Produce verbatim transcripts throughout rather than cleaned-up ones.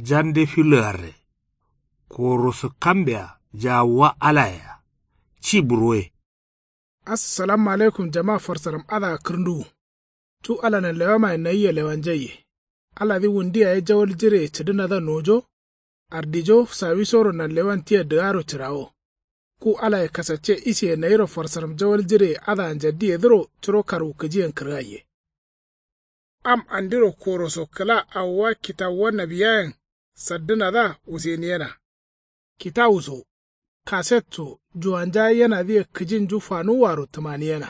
jande filoyarre. Koroso kambeya jawuwa alayea. Ci burwoye. Assalamu alaikum jama farsaram adǝa kǝrnduwu. Cu ala nanlewamaye nayia lewanjaiye. Aladǝ wundu yaye jawal jireye cǝdǝnadǝa nojo. Ardijo sawisoro nanlewan tia dǝgaro cǝrawo. Ku alaye kasacce isiye nayiro farsaram jawal jireye adǝa njaddiyedǝro curo karwukǝjiyen kǝrgaiye. Am andiro koroso kǝla awowa kitawuwa nawiyayen saddǝnadǝa wuseniyena. Kitawu so kaset so juwanja yenadǝye kǝjinju fanuwwaro tǝmaniyena.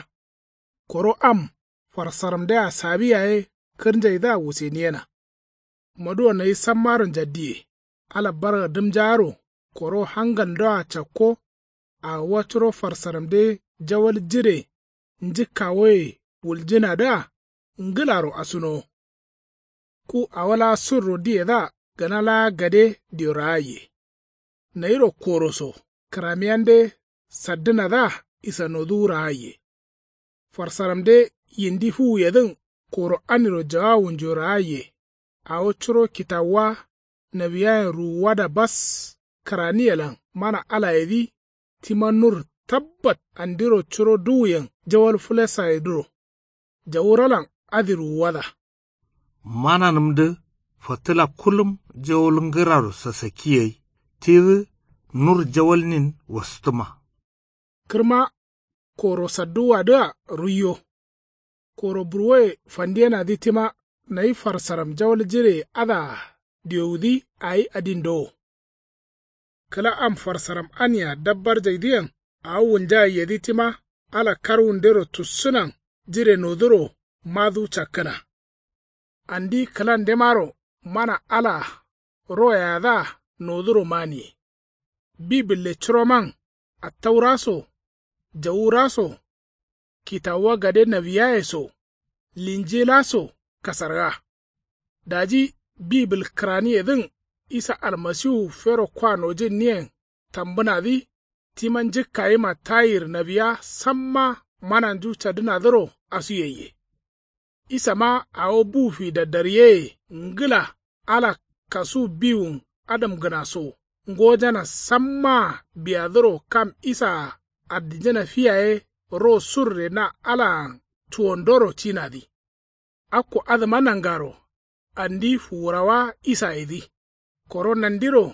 Koro am farsaramdea sawi yaye kǝrnjaidǝa wuseniyena. Moduwo nayi sammaro njaddiye. Ala barga dǝmjaaro koro hangalndoa cakko. Awowa curo farsaramde jawal jire njǝkkawoye wuljǝnadǝa ngǝlaro asunowo. Ku awo laa surro diyedǝa gǝna laa gade diyo raaiye. Nayiro koroso kǝramiyande saddǝnadǝa isanoduwu raaiye. Farsaramde yindi fuwuyedǝn koro aniro jawawunjo raaiye. Awo curo kitawuwa nawiyayen ruwuwada bas kǝraniyelan mana alayedǝ tima nur tabbat andiro curo duwuyen jawal fǝlesayedǝro. Jawuralan adǝ ruwuwada. Mananǝmdǝ fǝtǝla kullum jawal ngǝraro sasakki gai tidǝ nur jawalnin wastǝma. Kǝrma koro sadduwwadǝa ruiyo. Koro burwoye fandiyenadǝ tima nayi farsaram jawal jireye adǝa diwowudǝ awi adindo wo. Kǝla am farsaram ania dabbarjaidǝyen awo wulnjagaiyedǝ tima ala karwundero tussǝnan jire noduro maduwu cakkǝna. Andi kǝlandemaro mana alaa royeyadǝa noduro maniye. Bibǝlle curoman attaura so jawura so kitawuwa gade nawiyaye so linjila so kasarga. Daji bibǝl kǝraniyedǝn isa almasiwu fero kwa nojǝnniyen tambǝnadǝ tima njǝkkayima tayir nawiya samma mananju cadǝnadǝro asuyaiye. Isama awo bu fi daddaryeye ngǝla ala kasu biwun adamgǝna so ngojana sammaa biyadǝro kam isaa ardijǝna fi yaye ro surre na alaan cuwondoro cinadǝ. Akko adǝma nangaro andi fuwurawa isayedǝ. Koro nandiro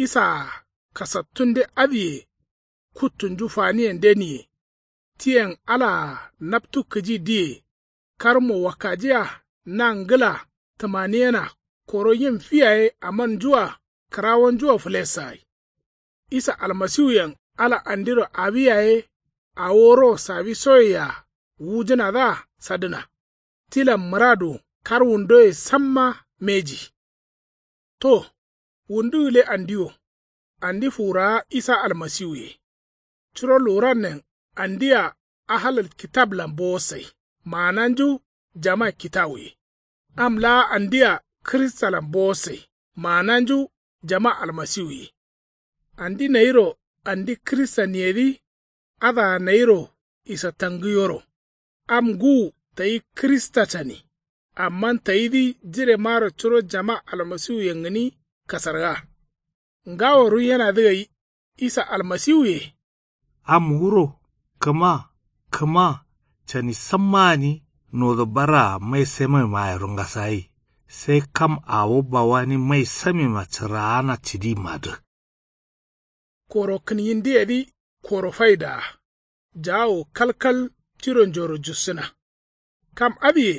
isaa kasattunde adǝye kuttunju faniyen deniye. Tiyen alaa naptu kǝji diye karmo wakkajia na ngǝla tǝmaniyena koro yim fi yaye amannjua kǝrawonjua fǝlessagai. Isa almasiwuyen ala andiro awi yaye awo ro sawisoyea wujǝnadǝa sadǝna. Tilan mǝradu karwundoye samma mbeji. To wundu gǝle andi wo. Andi fuwurawa isa almasiwuye. Curo luwurannen andia ahalal kitablan bowosai maananju jama kitawuye. Am laa andia kǝristalan bowosai maananju jama almasiwuye. Andi nayiro andi kǝristaniyedǝ adǝa nayiro isatangǝyoro. Am ngǝwu tayi kǝrista cani. Amma tayidǝ jiremaro curo jama almasiwuyen gǝni kasarga. Ngawo ruiyenadǝ gai isa almasiwuye. Am wuro kǝma kǝma cani samma gǝni nodo barraa mai samemmayero ngasagai. Sai kam awo bawani mai samemma cǝraana cǝdimmadǝ. Koro kǝnyindiyedǝ koro faidaa. Jaawo kalkal tironjoro jussǝna. Kam adǝye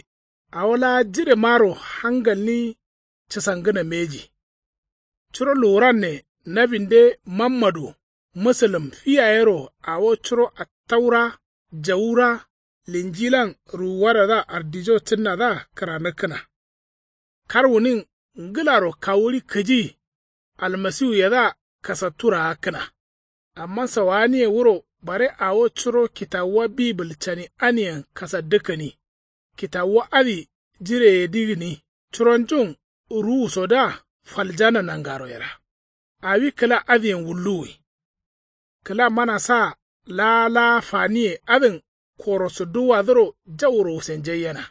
awo laa jiremaro hangalni cǝsangǝna mbeji. Curo luwuranne nabinde mammadu mǝsǝlǝm fi yayero awo curo attaura jawura linjilan ruwuwadadǝa ardijo cǝnnadǝa kǝranǝkkǝna. Karwunin ngǝlaro kawuɍi kǝji almasiwuyedǝa kasattu raakkǝna. Amma sawaaniye wuro bare awo curo kitawuwa bibǝl cani aniyen kasaddǝkkǝni. Kitawuwa adǝ jireyedǝ gǝni curonjun ruwusodǝa faljana nangaro yera. Awi kǝla adǝyen wulluwwi. Kǝla mana saa laa laa faniye adǝn koroso duwwadǝro jauro wusenjaiyena.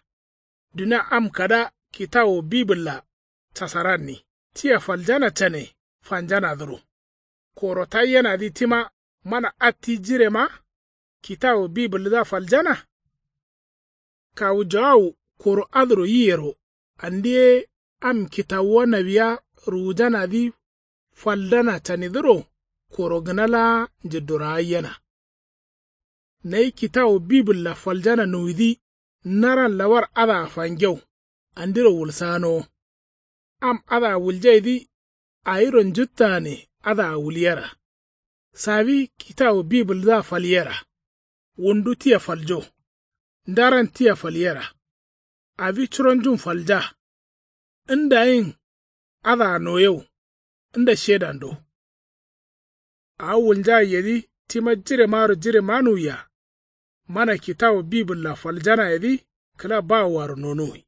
Dunia am kada kitawo bibǝlla casaranni. tia faljana cane fanjanadǝro. Koro taiyenadǝ tima mana atti jirema kitawu bibǝldǝa faljana. Kawu jawawu koro adǝro yiyero andi ye am kitawuwa nawiya ruwujanadǝ faldana canidǝro koro gǝna laa njǝddorawaiyena. Nayi kitawu bibǝlla faljana nuwidǝ naran lawar adǝa fangeu andiro wulsaganowo. Am adǝa wuljaidǝ awiro njuttagane adǝa wulyera. Sawi kitawu bibǝldǝa falyera. Wundu tia faljo. Ndaran tia falyera. Awi curonjun falja. Ndayin adǝa noyeu. Nda shedando. Awo wulnjaiyedǝ tima jiremaro jiremanuwiya. Mana kitawu bibǝlla faljanayedǝ kǝla bawowaro nonuwi.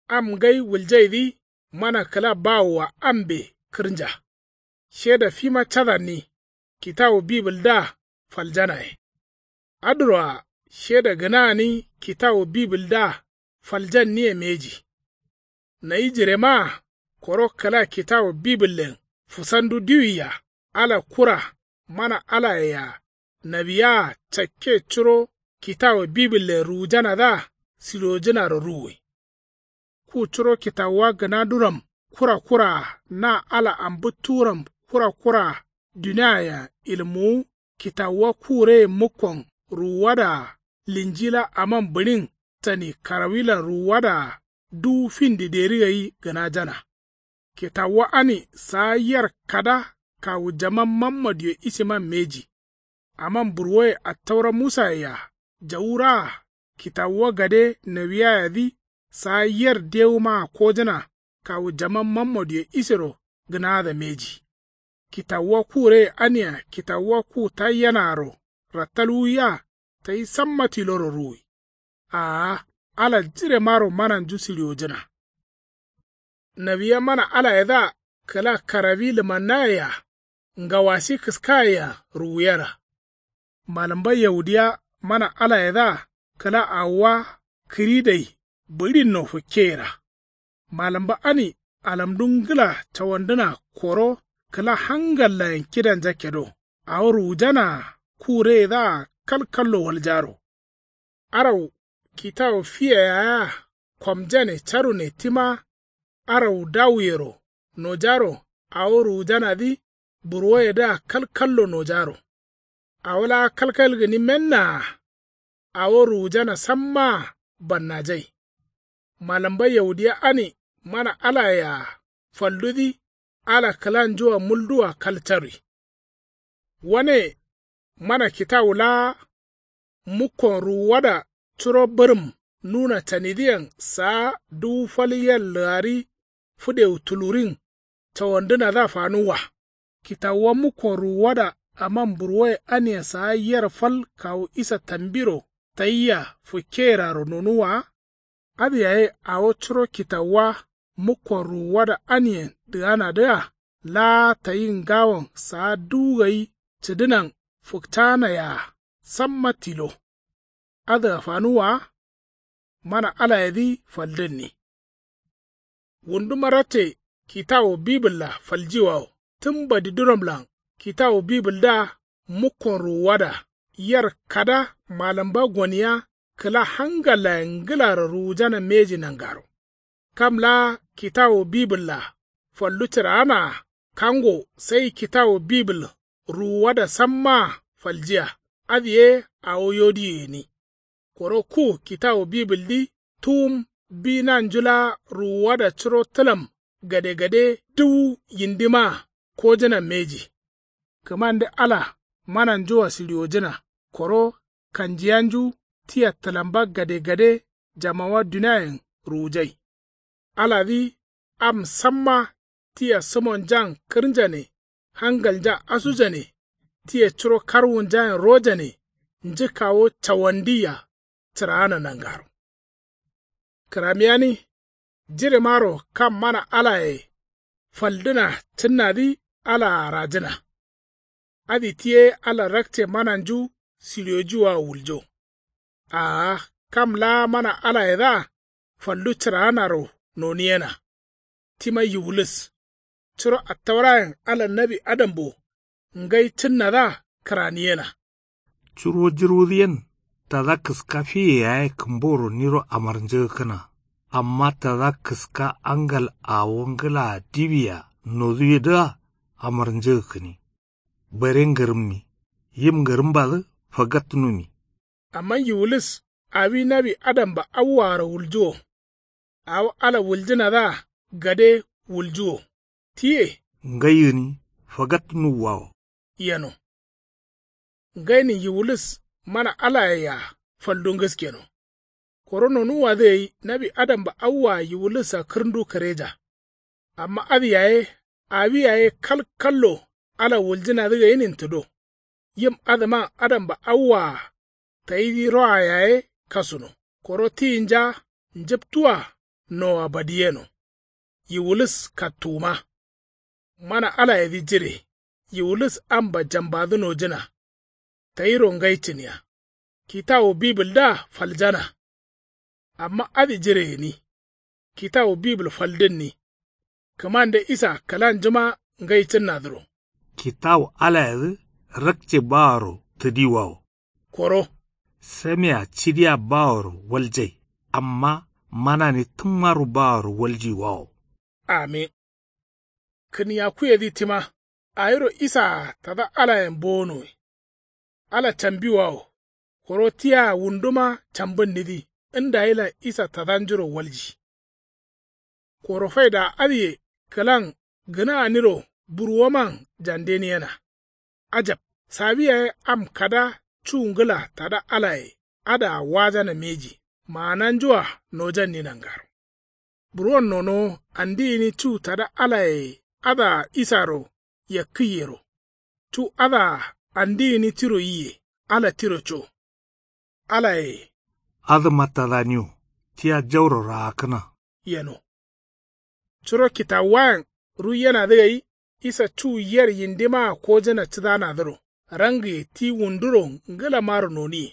Am ngai wuljaidǝ mana kǝla bawoa ambe kǝrnja. Sheda fima cadanni kitawu bibǝldǝa faljanaye. Adǝroa sheda gǝna gǝni kitawu bibǝldǝa faljanniye mbeji. Nayi jiremaa koro kǝla kitawu bibǝllen fusandu diwiya ala kura mana alayea nawiyaa cakke curo kitawu bibǝllen ruwujanadǝa silojǝnaro ruwwi. Ku curo kitawuwa gǝnanduram kura kuraa na ala ambǝttuwuram kura kuraa duniayen ilmuwu kitawuwa ku reye mukkon ruwuwadaa linjila aman bǝɍin cani karawilan ruwuwadaa duwu findi deri gai gǝnajana. Kitawuwa ani saa yer kada kawu jaman mammodiyo isiman mbeji. Aman burwoye attaura musayea jawuraa kitawuwa gade nawiyayedǝ saa yer dewumaa kojǝna kawu jaman mammodiyo isero gǝnada mbeji. Kitawuwa ku reye ania kitawuwa ku taiyenaaro rattalwuwiya tayi samma tiloro ruwwi. Aa ala jiremaro mananju siliwojǝna. Nawiya mana alayedǝa kǝla karawi lǝmannayea ngawasi kǝskayea ruwuyera. Malǝmba yaudiya mana alayedǝa kǝla awowa kǝridai bǝɍinno fǝkkeyera. Malǝmba ani alamdu ngǝla cawandǝna koro kǝla hangallayen kidanja kedo awo ruwujanaa ku reyedǝa kalkallo waljaro. Arau kitawu fiye yayeya komjane carune tima arau dawuyero nojaro awo ruwujanadǝ burwoyedǝa kalkallo nojaro. Awo laa kalkal gǝni mennaa awo ruwujana sammaa bannajai. Malǝmba yaudiya ani mana alayea faldudǝ ala kǝlanjua mulduwa kal carwi. Wane mana kitawu laa mukkon ruwuwada curo bǝrǝm nuna canidǝyen saa duwu fal yer lǝgari fǝdewu tulurin cawandǝnadǝa fanuwwa. Kitawuwa mukkon ruwuwada aman burwoye aniyen saa yer fal kawu isa tambiro tayia fǝkkeyerearo nonuwwa wa. Adǝ yaye awo curo kitawuwa mukkon ruwuwada aniyen dǝganadǝa laa tayi ngawon saa duwu gai cǝdǝnan fǝkcaana yea samma tilo. Adǝa fanuwwa wa. Mana alayedǝ faldǝnni. Wunduma ratte kitawu bibǝlla faljiwawo tǝm badiduramlan kitawu bibǝldǝa mukkon ruwuwada yer kada malǝmba goniya kǝla hangallayen ngǝlaro ruwujana mbeji nangaro. Kam laa kitawu bibǝlla fallu cǝraanaa kango sai kitawu bibǝl ruwuwada sammaa faljiya. Adǝ ye awo yodiyo gǝni. Koro ku kitawu bibǝldǝ tuwum bi nanju laa ruwuwada curo tǝlam gadegade duwu yindimaa kojǝna mbeji. Kǝmande ala mananjua sǝɍiwojǝna koro kanjiyanju tia tǝlamba gadegade jamawa duniayen ruwujai. Aladǝ am samma tia sǝmonjan kǝrnjane hangalnja asujane tia curo karwunjayen rojane njǝkkawo cawandiya cǝraana nangaro. Kǝramiyani jiremaro kam mana alaye faldǝna cǝnnadǝ alaa rajǝna. Adǝ ti ye ala rakce mananju sǝɍiyojiwoa wuljo. Aa kam laa mana alayedǝa fallu cǝraanaro noniyena. Tima yiwulǝs. curo attaurayen ala nawi adambo ngai cǝnnadǝa kǝraniyena. Curo jǝrwudǝ yen tada kǝska fiye yaye kǝmboro niro amarnjǝgǝkkǝna. Amma tada kǝska angal awo ngǝlaa diwia noduyedǝa amarnjǝgǝkkǝni. Bare ngǝrǝmmi yim ngǝrǝmbadǝ fagatnumi. Amma yiwulis awi nawi adamba awwaaro wuljuwo. Awo ala wuljǝnadǝa gade wuljuwo. Tiye ngai gǝni fagatnuwwawo. Yeno. Ngainin yiwulis mana alayea faldu ngǝskeno. Koro nonuwwadǝ gai nawi adamba awwaa yiwulisa kǝrndu kǝreja. Amma adǝ yaye awi yaye kal kallo ala wuljǝnadǝ gainin tǝdo. Yim adǝman adamba awwaa tayidǝ roa yaye kasuno. Koro tiyinja njǝptuwa noa badiyeno. Yiwulis kattuwuma. Mana alayedǝ jire. Yiwulis amba jambadǝ nojǝna. Tayiro ngai cǝniya. Kitawu bibǝldǝa faljana. Amma adǝ jire gǝni. Kitawu bibǝl faldǝnni. Kǝmande isa kǝlanjuma ngai cǝnnadǝro. Kitawu alayedǝ rakce baworo tǝdiwawo. Koro samea cidiya baworo waljai. Amma manani tǝmmaro baworo waljiwawo. Amin. Kǝniyakuyedǝ tima awiro isaa tada alayen bowonowe. Ala cambiwawo. Koro tia wunduma cambǝnnidǝ ndayilan isa tadanjuro walji. Koro faida adǝye kǝlan gǝnaaniro burwoman jandeniyena. Ajab. Sawi yaye am kada cu ngǝla tada alaye adǝa wajana mbeji. Maananjua nojanni nangaro. Burwon nonowo andi gǝni cu tada alaye adǝa isaro yakkǝiyero. Cu adǝa andi gǝni tiro yiye ala tiro co. Alaye adǝma tadaniwo tia jauro raakkǝna. Yeno. Curo kitawuwayen ruiyenadǝ gai isa cu yer yindimaa kojǝna cǝdanadǝro rangǝye ti wunduro ngǝlamaro noniye.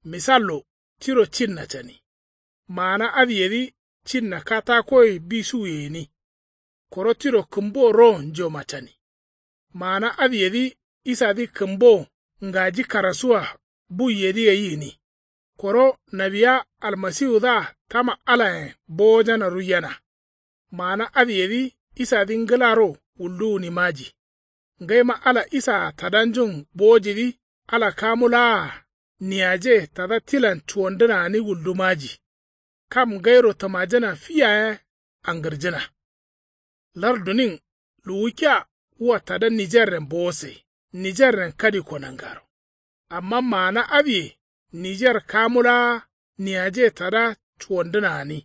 Misallo tiro cinna cani. Maana adǝyedǝ cinna katakoye bisuye gǝni. Koro tiro kǝmbo ro njoma cani. Maana adǝyedǝ isadǝ kǝmbo ngaji karasuwa buiyedǝ gai gǝni. Koro nawiya almasiwudǝa tama alayen bowojana ruiyena. Maana adǝyedǝ isadǝ ngǝlaro wuldu gǝni maji. Ngaima ala isaa tadanjun bowojidǝ ala kamu laa niyaje tada tilan cuwandǝna gǝni wuldu maji. Kam ngairo tǝmajǝna fi yaye angǝrjǝna. Lardunin luwukkiya wua tada nijerren bowose nijerren kadikko nangaro. Amma maana adǝye nijer kamu laa niyaje tada cuwandǝna gǝni.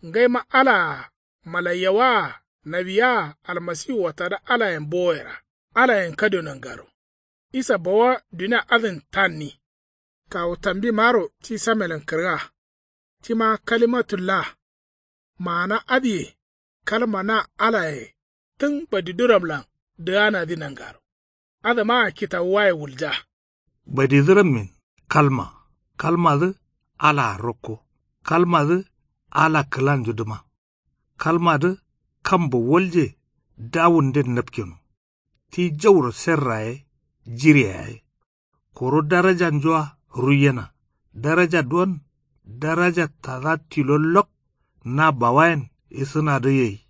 Ngaima alaa malaiyawaa nawiyaa almasiwua tada alayen bowoyera alayen kadio nangaro. Isa bawa dunia adǝn tanni. Kawu tambimaro ti samelen kǝrga. Tima kalimatullah. Maana adǝye kalma na alaye tǝn badiduramlan dǝganadǝ nangaro. Adǝmaa kitawuwaye wulja. Badidurammin kalma. Kalmadǝ alaa rokko. Kalmadǝ ala kǝlanjudǝma. Kalmadǝ kambo walje dawunden napkeno. Ti jauro serra ye jire yaye. Koro darajanjua ruiyena. Daraja duwon daraja tada tilo lok na bawayen isǝnadǝ gai.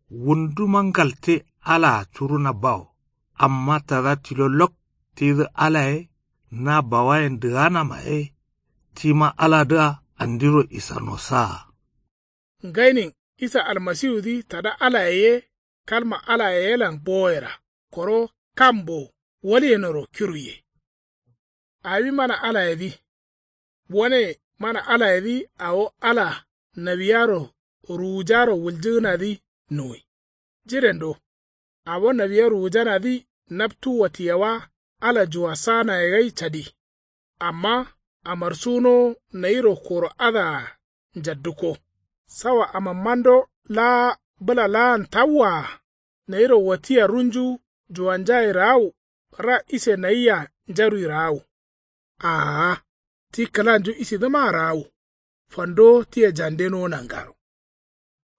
Wunduma ngalte alaa curuna bawo. Amma tada tilo lok tidǝ alaye na bawayen dǝganama ye. Tima aladǝa andiro isano saa. Ngainin isa almasiwudǝ tada alaye ye kalma alaye yelan bowoyera koro kambo walyenoro kiruiye. Awi mana alayedǝ. Wane mana alayedǝ awo ala nawiyaro ruwujaro wuljǝgǝnadǝ nuwi. Jirendo. Awo nawiya ruwujanadǝ naptu watiyawa ala juwassanaye gai cadi. Amma amarsunowo nayiro koro adǝa njaddǝkko. Sawa amammando laa bǝla laan tawwaa nayiro watiya runju juwanjaye raawu ra ise nayia njarui raawu. Aa ti kǝlanju isidǝmaa raawu. Fandowo tia jandenowo nangaro.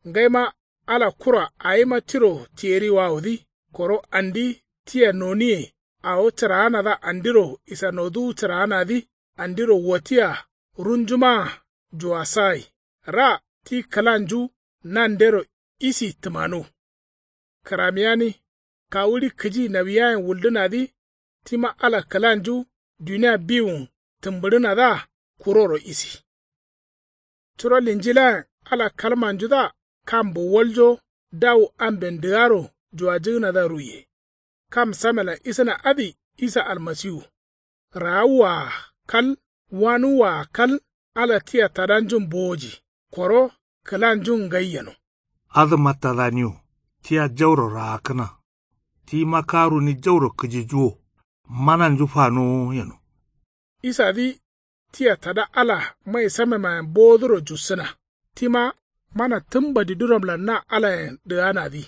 Ngaima Ala kura awima tiro tiyeriwawodǝ. Koro andi tia noniye awo cǝraanadǝa andiro isanoduwu cǝraanadǝ andiro watiya runjumaa juwasagai. Ra ti kǝlanju nandero isi tǝmanu. Kǝramiyani kawuɍi kǝji nawiyayen wuldǝnadǝ. Tima ala kǝlanju dunia biwun tǝmbǝɍǝnadǝa kuroro isi. Curo linjilayen ala kalmanjudǝa kam bowaljo dawu amben dǝgaro juwajǝgǝnadǝa ruiye. Kam samelan isǝna adǝ isa almasiwu. Raawuwa-a kal wanuwwa-a kal. Ala tia tadanjun bowoji koro kǝlanjun ngai yeno. Adǝma tadaniwo tia jauro raakkǝna. Tima karuni jauro kǝjijuwo mananju fanowo yeno. Isadǝ tia tada ala mai samemayen bowoduro jussǝna. Tima mana tǝmbadi duramlan na alayen dǝganadǝ.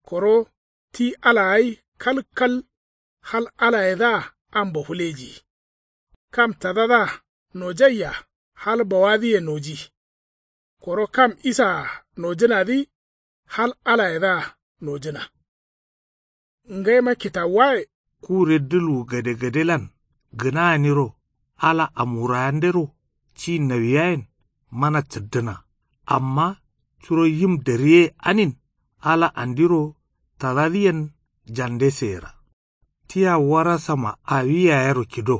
Koro ti ala gai kalkal hal alayedǝa ambo fǝlejiyi. Kam tadadǝa nojaiya hal bawadǝye noji. Koro kam isaa nojǝnadǝ hal alayedǝa nojǝna. Ngaima kitawuwaye. Kure dulwu gadegadelan gǝnayeniro ala amwurayandero ci nawiyayen mana cǝddǝna. Amma curo yim dariye anin ala andiro tadadǝyen jandeseyera. Tia warasama awi yayero kido.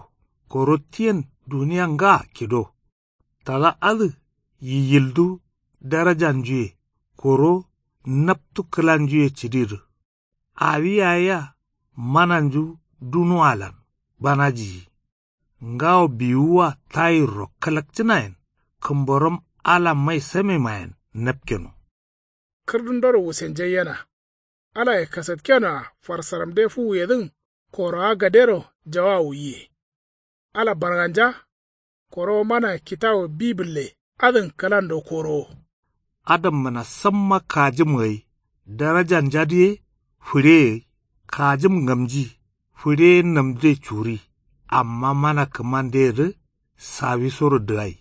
Koro tiyen dunia ngaa kido. Tada adǝ yiyildu darajanjuye koro naptu kǝlanjuye cǝdidǝ. Awi yaye-a mananju dunuwalan banajiyi. Ngawo biwuwa tayirro kalakcǝnayen kǝmborom ala mai samemayen napkeno. Kǝrdundoro wusenjaiyena. Alaye kasatkenoa farsaramde fuwuyedǝn korowa gadero jawawu yiye. Ala barganja. Koro mana kitawu bibǝlle adǝn kǝlando korowo. Adammǝna samma kajǝm gai darajanjadǝ ye fǝɍeye gai kajǝm ngamji fǝɍeye namde curi. Amma mana kǝmandeyedǝ sawisoro dǝgai.